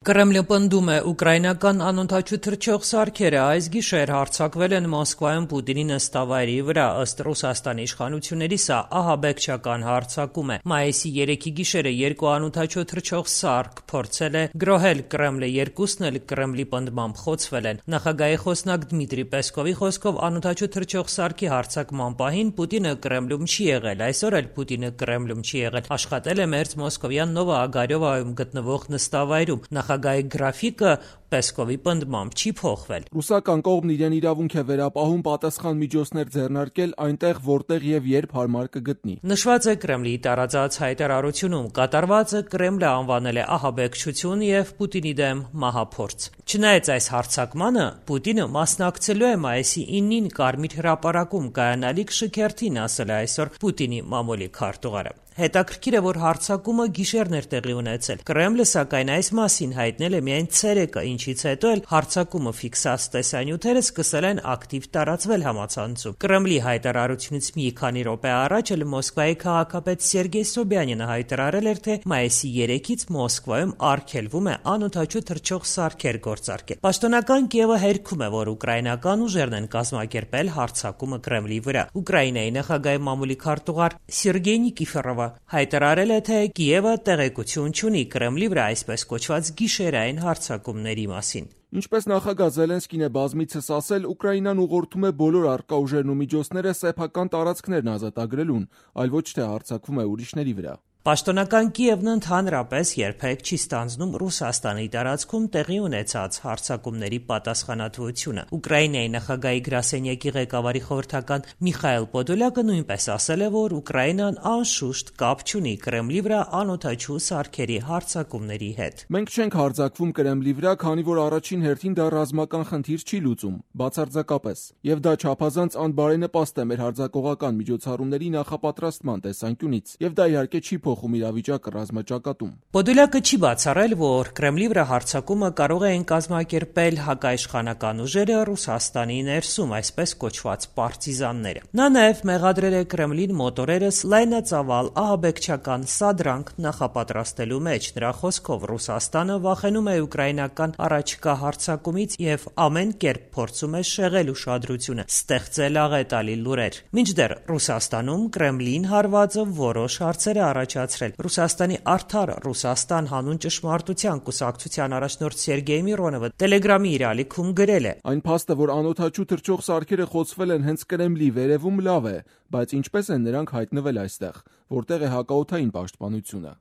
Կրեմլը պնդում է, ուկրաինական անօդաչու թռչող սարքերը այս գիշեր հարձակվել են Մոսկվայում Պուտինի նստավայրի վրա, ըստ Ռուսաստանի իշխանությունների սա ահաբեկչական հարձակում է։ Մայիսի 3-ի գիշերը երկու անօդաչու թռչող սարք փորձել է գրոհել Կրեմլը, երկուսն էլ Կրեմլի պնդմամբ խոցվել են։ Նախագահի խոսնակ Դմիտրի Պեսկովի խոսքով անօդաչու թռչող սարքի հարձակման պահին Պուտինը Կրեմլում չի եղել, այսօր էլ Պուտինը Կրեմլում չի եղել, աշխատել է մերձ մոսկովյան Նովա Ագարյովայում գտնվող նստավայրում։ Նախագահի գրաֆիկը Պեսկովի պնդմամբ չի փոխվել։ Ռուսական կողմն իրեն իրավունք է վերապահում պատասխան միջոցներ ձեռնարկել այնտեղ, որտեղ եւ երբ հարմար կգտնի։ Նշված է Կրեմլի տարածած հայտարարությունում, կատարվածը Կրեմլը անվանել է ահաբեկչություն եւ Պուտինի դեմ մահափորձ։ Չնայած այս հարձակմանը, Պուտինը մասնակցելու է մայիսի 9-ին Կարմիր հրապարակում կայանալիք շքերթին, ասել է այսօր Պուտինի մամուլի քարտուղարը։ Հետաքրքիր է, որ հարձակումը գիշերն էր տեղի ունեցել։ Կրեմլը, սակայն, այս մասին հայտնել է միայն ցերեկը, ինչից հետո էլ հարձակումը ֆիքսած տեսանյութերը սկսել են ակտիվ տարածվել համացանցում։ Կրեմլի հայտարարությունից մի քանի րոպե առաջ էլ Մոսկվայի քաղաքապետ Սերգեյ Սոբյանինը հայտարարել էր, թե մայիսի 3-ից Մոսկվայում արգելվում է անօդաչու թռչող սարքեր գործարկել։ Պաշտոնական Կիևը հերքում է, որ ուկրաինական ուժերն են կազմակերպել հարձակումը Կրեմլի վրա։ Ուկրաինայի նախագահի մամուլի քարտուղար Սերգեյ Նիկիֆորովը հայտարարել է, թե Կիևը տեղեկություն չունի Կրեմլի վրա այսպես կոչված գիշերային հարձակումների մասին։ Ինչպես նախագահ Զելենսկին է բազմիցս ասել, Ուկրաինան ուղղորդում է բոլոր առկա ուժերն ու միջոցները սեփական տարածքներն ազատագրելուն, այլ ոչ թե հարձակվում է ուրիշների վրա։ Պաշտոնական Կիևն ընդհանրապես երբեք չի ստանձնում Ռուսաստանի տարածքում տեղի ունեցած հարձակումների պատասխանատվությունը։ Ուկրաինայի նախագահի գրասենյակի ղեկավարի խորհրդական Միխայել Պոդոլյակը նույնպես ասել է, որ Ուկրաինան անշուշտ կապ չունի Կրեմլի վրա անօդաչու սարքերի հարձակումների հետ։ Մենք չենք հարձակվում Կրեմլի վրա, քանի որ առաջին հերթին դա ռազմական խնդիր չի լուծում, բացարձակապես, եւ դա չափազանց անբարենպաստ է մեր հարձակողական միջոցառումների նախապատրաստման տեսանկյունից, եւ դա իհարկե չի փոխում իրավիճակը ռազմաճակատում։ Պոդոլյակը չի բացառել, որ Կրեմլի վրա հարձակումը կարող են կազմակերպել հակաիշխանական ուժերը Ռուսաստանի ներսում, այսպես կոչված պարտիզանները։ Նա նաև մեղադրել է Կրեմլին մոտորերս լայնածավալ ահաբեկչական սադրանք նախապատրաստելու մեջ։ Նրա խոսքով Ռուսաստանը վախենում է ուկրաինական առաջիկա հարձակումից եւ ամեն կերպ փորձում է շեղել ուշադրությունը, ստեղծել աղետալի լուրեր։ Մինչդեռ Ռուսաստանում Կրեմլին հարվածը որոշ հարցեր է առաջացրել։ Ռուսաստանի Արդար Ռուսաստան հանուն ճշմարտության կուսակցության առաջնորդ Սերգեյ Միրոնովը Տելեգրամի իր ալիքում գրել է. Այն փաստը, որ անօդաչու թռչող սարքերը խոցվել են հենց Կրեմլի վերևում, լավ է, բայց ինչպես են նրանք հայտնվել այստեղ, որտեղ է հակաօդային պաշտպանությունը։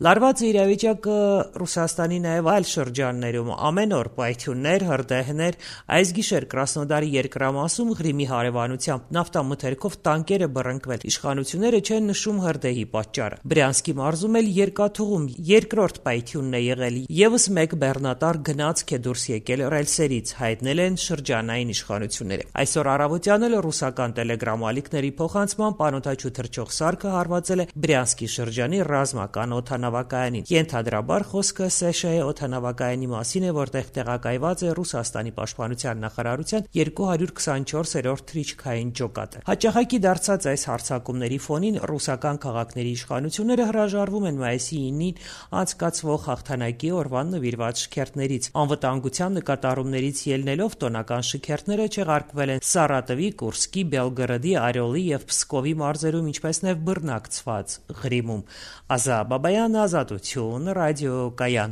Լարված է իրավիճակը Ռուսաստանի նաև այլ շրջաններում, ամեն օր պայթյուններ, հրդեհներ, այս գիշեր Կրասնոդարի երկրամասում Ղրիմի հարևանությամբ նավթամթերքով տանկեր է բռնկվել, իշխանությունները չեն նշում հրդեհի պատճառը։ Բրյանսկի մարզում էլ երկաթուղում երկրորդ պայթյունն է եղել, եւս մեկ բեռնատար գնացք է դուրս եկել ռելսերից, հայտնել են շրջանային իշխանությունները։ Այսօր առավոտյան էլ ռուսական տելեգրամ ալիքների փոխանցման անօդաչու թռչող սարքը հարվածել է Բրյանսկի շրջանի ռազմական օդանավակայանին։ Ենթադրաբար խոսքը Սեշեի օդանավակայանի մասին է, որտեղ տեղակայված է Ռուսաստանի պաշտպանության նախարարության 224-րդ թռիչքային ջոկատը։ Հաճախակի դարձած այս հարձակումների ֆոնին ռուսական քաղաքների իշխանությունները հրաժարվում են մայիսի 9-ին անցկացվող հաղթանակի օրվան նվիրված շքերթներից։ Անվտանգության նկատառումներից ելնելով տոնական շքերթները չեղարկվել են Սարատովի, Կուրսկի, Բելգորոդի, Արիոլի եւ Պսկովի մարզերում, ինչպես նաեւ բռնակցված Ղրիմում։ Ազա Բաբայան, Ազատություն, ռադիոկայան։